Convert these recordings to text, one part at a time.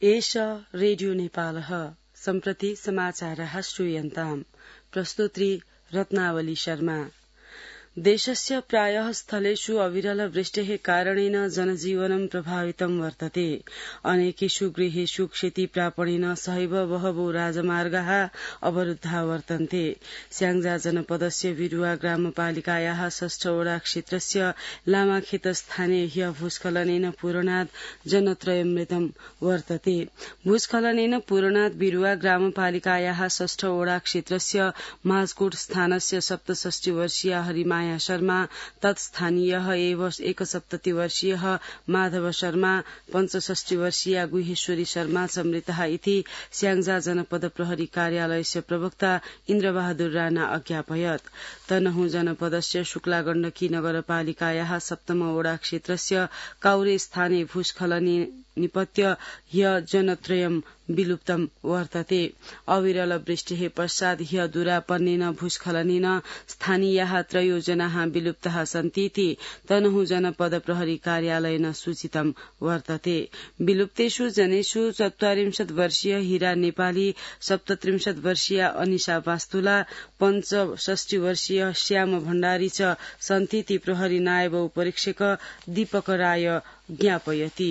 एष रेडियो नेपालः सम्प्रति समाचारः श्रूयन्ताम् प्रस्तुत्री रत्नावली शर्मा। देशस्य प्रायः स्थलेषु अविरल वृष्टेः कारणेन जनजीवनं प्रभावितं वर्तते। अनेकेषु गृहेषु क्षतिप्रापणेन सहैव बहवो राजमार्गाः अवरुद्धा वर्तन्ते। स्याङ्जा जनपदस्य बिरुवा ग्रामपालिकायाः 6 वडा क्षेत्रस्य लामाखेत स्थाने ह्य भूस्खलनेन पूर्णात् जनत्रयं मृतं वर्तते। भूस्खलनेन पूर्णात् बिरुवा ग्रामपालिकायाः 6 वडा क्षेत्रस्य माझकोट स्थानस्य 67 वर्षीया हरिमाया शर्मा, तत्स्थानीयः एव 71 वर्षीयः माधव शर्मा, 65 वर्षीया गुहेश्वरी शर्मा च मृतः इति स्याङ्जा जनपद प्रहरी कार्यालयस्य प्रवक्ता इन्द्रबहादुर राणा अज्ञापयत्। तनहुँ जनपदस्य शुक्ला गण्डकी नगरपालिकायाः 7 वडा क्षेत्रस्य काउरे स्थाने भूस्खलने निपत्य ह्य जनत्रयं विलुप्तं वर्तते। अविरल वृष्टेः पश्चात् ह्य दुरापन्नेन भूस्खलनेन स्थानीयाः 3 जनाः विलुप्ताः सन्तीति तनहुँ जनपद प्रहरी कार्यालयेन सूचितं वर्तते। विलुप्तेषु जनेषु 44 वर्षीय हीरा नेपाली, 37 वर्षीया अनिशा वास्तुला, 65 वर्षीय श्याम भण्डारी च सन्तीति प्रहरी नायब उपरीक्षक दीपक राय ज्ञापयति।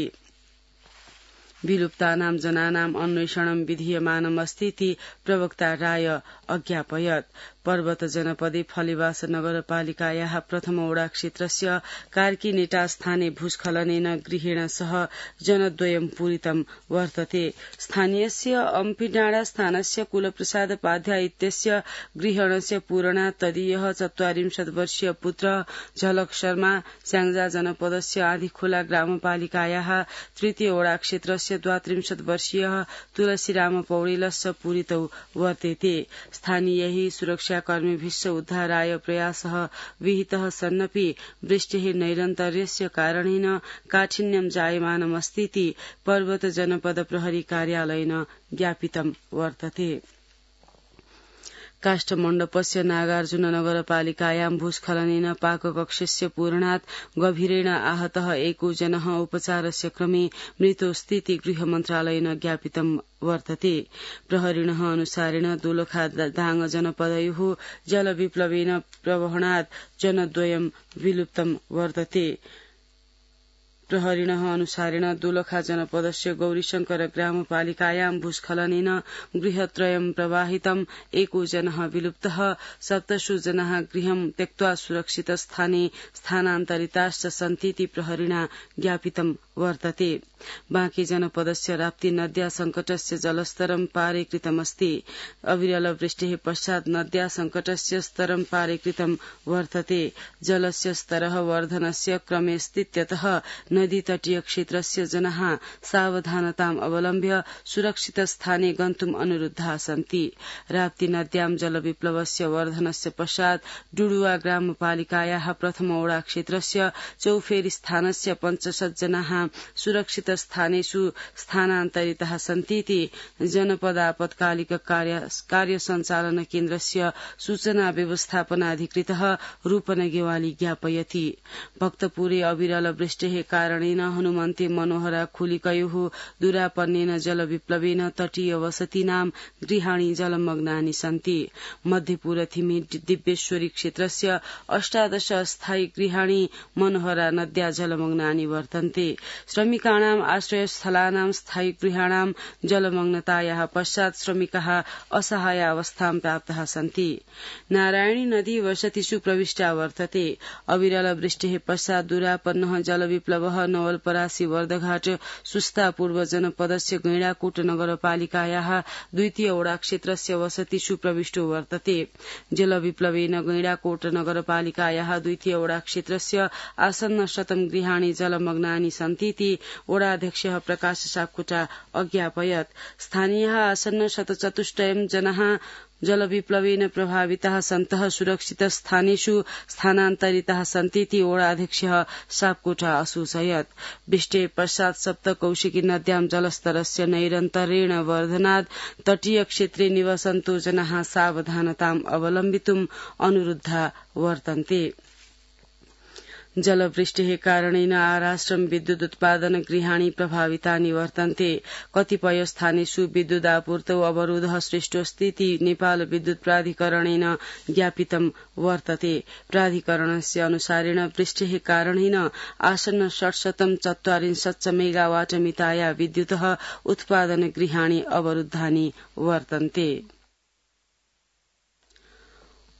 विलुप्तानां जनानां अन्वेषणं विधीयमानम् अस्तीति प्रवक्ता राय अज्ञापयत्। पर्वत जनपदे फलिवास नगरपालिकायाः 1 वडा क्षेत्रस्य कार्की नेटा स्थाने भूस्खलनेन गृहेण सह जनद्वयं पूरितं वर्तते। स्थानीयस्य अम्पिडाँडा स्थानस्य कुलप्रसाद पाध्याय इत्यस्य गृहणस्य पूर्णा तदीयः 44 वर्षीय पुत्र झलक शर्मा, स्याङ्जा जनपदस्य आधिखोला ग्रामपालिकायाः 3 वडा क्षेत्रस्य 32 वर्षीयः तुलसीराम पौडेलस्य पूरितौ वर्तेते। स्थानीयैः सुरक्षाकर्मिभिश्च उद्धाराय प्रयासः विहितः सन्नपि वृष्टेः नैरन्तर्यस्य कारणेन काठिन्यं जायमानमस्तीति पर्वत जनपद प्रहरी कार्यालयेन ज्ञापितं वर्तते। काष्ठमण्डपस्य नागार्जुन नगरपालिकायां भूस्खलनेन पाककक्षस्य पूर्णात् गभीरेण आहतः 1 जनः उपचारस्य क्रमे मृतोस्तीति गृह मन्त्रालयेन ज्ञापितं वर्तते। प्रहरिणः अनुसारेण दोलखा दाङ जनपदयोः जलविप्लवेन प्रवहणात् जनद्वयं विलुप्तं वर्तते। प्रहरिणः अनुसारेण दोलखा जनपदस्य गौरीशंकर ग्रामपालिकायां भूस्खलनेन गृहत्रयं प्रवाहितं, 1 जनः विलुप्तः, 17 जनाः गृहं त्यक्त्वा सुरक्षित स्थाने स्थानान्तरिताश्च सन्तीति प्रहरिणा ज्ञापितं वर्तते। बाँकी जनपदस्य राप्ती नद्या संकटस्य जलस्तरं पारीकृतमस्ति। अविरल वृष्टेः पश्चात् नद्या संकटस्य स्तरं पारीकृतं वर्तते। जलस्य स्तरः वर्धनस्य क्रमे स्थित्यतः नदी तटीय क्षेत्रस्य जनाः सावधानताम् अवलम्ब्य सुरक्षित स्थाने गन्तुम् अनुरुद्धाः सन्ति। राप्ती नद्यां जलविप्लवस्य वर्धनस्य पश्चात् डुडुवा ग्रामपालिकायाः 1 वडा क्षेत्रस्य चौफेरी स्थानस्य 65 जनाः सुरक्षित स्थानेषु स्थानान्तरिताः सन्तीति जनपद आपत्कालिक कार्य सञ्चालन केन्द्रस्य सूचना व्यवस्थापनाधिकृतः रूपन गेवाली ज्ञापयति। भक्तपुरे अविरल वृष्टेः कारणेन हनुमन्ते मनोहरा खुलिकयोः दुरापन्नेन जलविप्लवेन तटीय वसतीनां गृहाणि जलमग्नानि सन्ति। मध्यपुर थिमी दिव्येश्वरी क्षेत्रस्य 18 अस्थायी गृहाणि मनोहरा नद्या जलमग्नानि वर्तन्ते। श्रमिकाणाम् आश्रयस्थलानां स्थायी गृहाणां जलमग्नतायाः पश्चात् श्रमिकाः असहाय अवस्थां प्राप्ताः सन्ति। नारायणी नदी वसतिषु प्रविष्टा वर्तते। अविरल वृष्टेः पश्चात् दुरापन्नः जलविप्लवः नवलपरासी वर्धघाट सुस्ता पूर्व जनपदस्य गैंडाकोट नगरपालिकायाः 2 वडा क्षेत्रस्य वसतिषु प्रविष्टो वर्तते। जलविप्लवेन गैंडाकोट नगरपालिकायाः 2 वडा क्षेत्रस्य आसन्न 100 गृहाणि जलमग्नानि सन्तीति वडाध्यक्षः प्रकाश सापकोटा अज्ञापयत्। स्थानीयाः आसन्न 104 जनाः जलविप्लवेन प्रभाविताः सन्तः सुरक्षित स्थानेषु स्थानान्तरिताः सन्तीति वडाध्यक्षः सापकोटा असूचयत्। वृष्टेः पश्चात् सप्तकौशिकी नद्यां जलस्तरस्य नैरन्तर्येण वर्धनात् तटीय क्षेत्रे निवसन्तो जनाः सावधानताम् अवलम्बितुम् अनुरुद्धा वर्तन्ते। जलवृष्टिः कारणेन आराष्ट्रं विद्युत उत्पादन गृहाणि प्रभावितानि वर्तन्ते। कतिपय स्थानेषु विद्युदापूर्तौ अवरोधः सृष्टोऽस्ति इति नेपाल विद्युत प्राधिकरणेन ज्ञापितं वर्तते। प्राधिकरणस्य अनुसारेण वृष्टिः कारणेन आसन्न 644 मेगावाट मिताया विद्युतः उत्पादन गृहाणि अवरुद्धानि वर्तन्ते।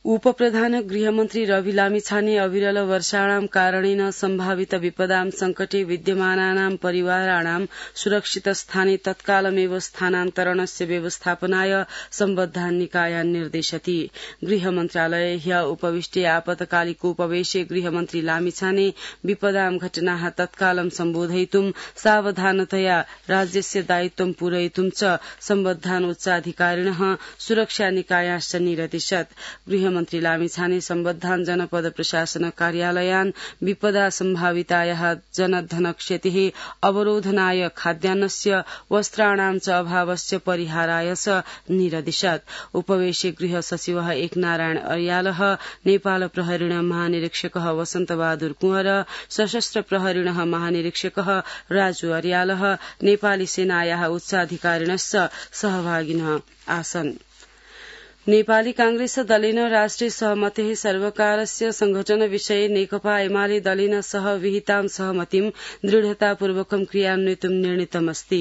उपप्रधान गृहमन्त्री रवि लामिछाने अविरल वर्षाणां कारणेन सम्भावित विपदां संकटे विद्यमानानां परिवाराणां सुरक्षित स्थाने तत्कालमेव स्थानान्तरणस्य व्यवस्थापनाय सम्बद्धान् निकायान् निर्देशति। गृहमन्त्रालये ह्य उपविष्टे आपतकालिकोपवेशे गृहमन्त्री लामिछाने विपदां घटनाः तत्कालं सम्बोधयितुं सावधानतया राज्यस्य दायित्वं पूरयितुं च सम्बद्धान् उच्चाधिकारिणः सुरक्षा निकायाश्च निरदिशत्। गृहमन्त्री लामिछाने सम्बद्धान् जनपद प्रशासन कार्यालयान् विपदा सम्भावितायाः जनधन क्षतिः अवरोधनाय खाद्यान्नस्य वस्त्राणां च अभावस्य परिहाराय च निरदिशत्। उपवेशे गृह सचिवः एकनारायण अर्यालः, नेपाल प्रहरीण महानिरीक्षकः वसन्तबहादुर कुँवर, सशस्त्र प्रहरीण महानिरीक्षकः राजु अर्यालः, नेपाली सेनायाः उच्चाधिकारिणश्च सहभागिनः आसन्। नेपाली कांग्रेस दलेन राष्ट्रिय सहमतेः सर्वकारस्य संघटन विषये नेकपा एमाले दलेन सह विहितां सहमतिं दृढतापूर्वकं क्रियान्वितुं निर्णीतमस्ति।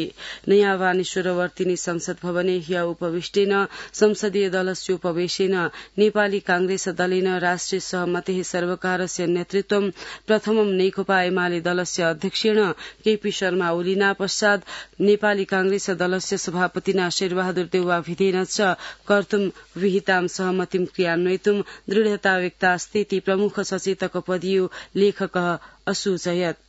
नयाँ वानेश्वरवर्तिनी संसद भवने ह्य उपविष्टेन संसदीय दलस्य उपवेशेन नेपाली कांग्रेस दलेन राष्ट्रिय सहमतेः सर्वकारस्य नेतृत्वं प्रथमं नेकपा एमाले दलस्य अध्यक्षेण केपी शर्मा ओलीना पश्चात् नेपाली कांग्रेस दलस्य सभापतिना शेरबहादुर देउवाभिधेन च कर्तुं विहितां सहमतिं क्रियान्वयितुं दृढता व्यक्तास्ति इति प्रमुख सचेतक पदीयो लेखकः असूचयत्।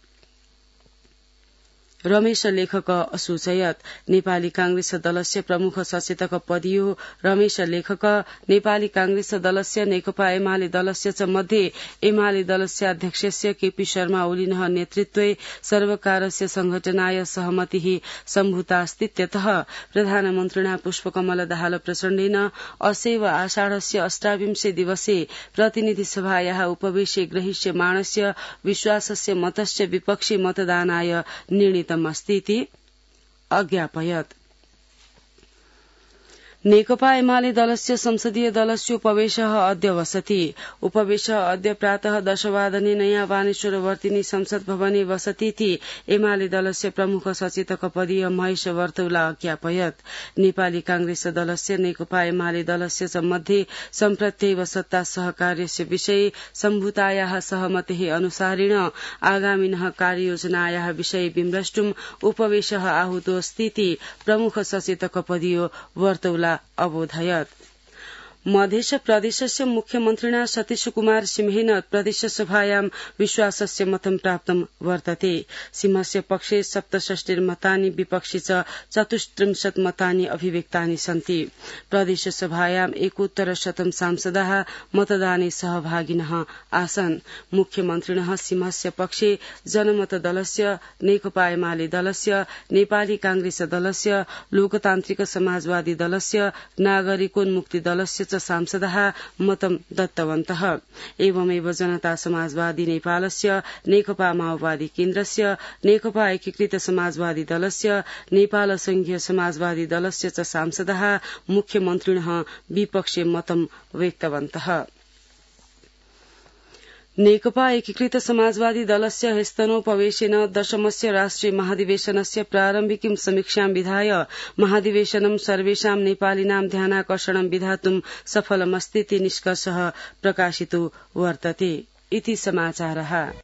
रमेश लेखक असूचयत्। नेपाली कांग्रेस दलस्य प्रमुख सचेतक पदीयो रमेश लेखक नेपाली कांग्रेस दलस्य नेकपा एमाले दलस्य च मध्ये एमाले दलस्य अध्यक्षस्य केपी शर्मा ओलिनः नेतृत्वे सर्वकारस्य संघटनाय सहमतिः सम्भूतास्तीत्यतः प्रधानमन्त्रिणा पुष्पकमल दाहाल प्रचण्डेन असैव आषाढस्य 28 दिवसे प्रतिनिधि सभायाः उपवेशे ग्रहीष्यमाणस्य विश्वासस्य मतस्य विपक्षी मतदानाय निर्णीत अस्तीति अज्ञापयत्। नेकपा एमाले दलस्य संसदीय दलस्योपवेशः अद्य वसति। उपवेशः अद्य प्रातः 10 वादने नयाँ वानेश्वरवर्तिनी संसद भवने वसतीति एमाले दलस्य प्रमुख सचेतक पदीय महेश वर्तौला अज्ञापयत्। नेपाली कांग्रेस दलस्य नेकपा एमाले दलस्य च मध्ये सम्प्रत्येव सत्ता सहकार्यस्य विषये सम्भूतायाः सहमतेः अनुसारेण आगामिनः कार्ययोजनायाः विषये विमृष्टुम् उपवेशः आहूतोऽस्तीति प्रमुख सचेतक पदीयो वर्तौला अबोधयत्। मध्य प्रदेशस्य मुख्यमन्त्रिणा सतीश कुमार सिंहेन प्रदेशसभायां विश्वासस्य मतं प्राप्तं वर्तते। सिंहस्य पक्षे 67 मतानि विपक्षे च 34 मतानि अभिव्यक्तानि सन्ति। प्रदेशसभायां 71% सांसदाः मतदाने सहभागिनः आसन्। मुख्यमन्त्रिणः सिंहस्य पक्षे जनमत दलस्य, नेकपा एमाले दलस्य, नेपाली कांग्रेस दलस्य, लोकतान्त्रिक समाजवादी दलस्य, नागरिकोन्मुक्ति दलस्य सांसदाः मतं दत्तवन्तः। एवमेव जनता समाजवादी नेपालस्य, नेकपा माओवादी केन्द्रस्य, नेकपा एकीकृत समाजवादी दलस्य, नेपाल संघीय समाजवादी दलस्य च सांसदाः मुख्यमन्त्रिणः विपक्षे मतं व्यक्तवन्तः। नेकपा एकीकृत समाजवादी दलस्य ह्यस्तनोपवेशेन 10मस्य राष्ट्रिय महाधिवेशनस्य प्रारम्भिकीं समीक्षां विधाय महाधिवेशनं सर्वेषां नेपालिनां ध्यानाकर्षणं विधातुं सफलमस्तीति निष्कर्षः प्रकाशितो वर्तते। इति समाचारः।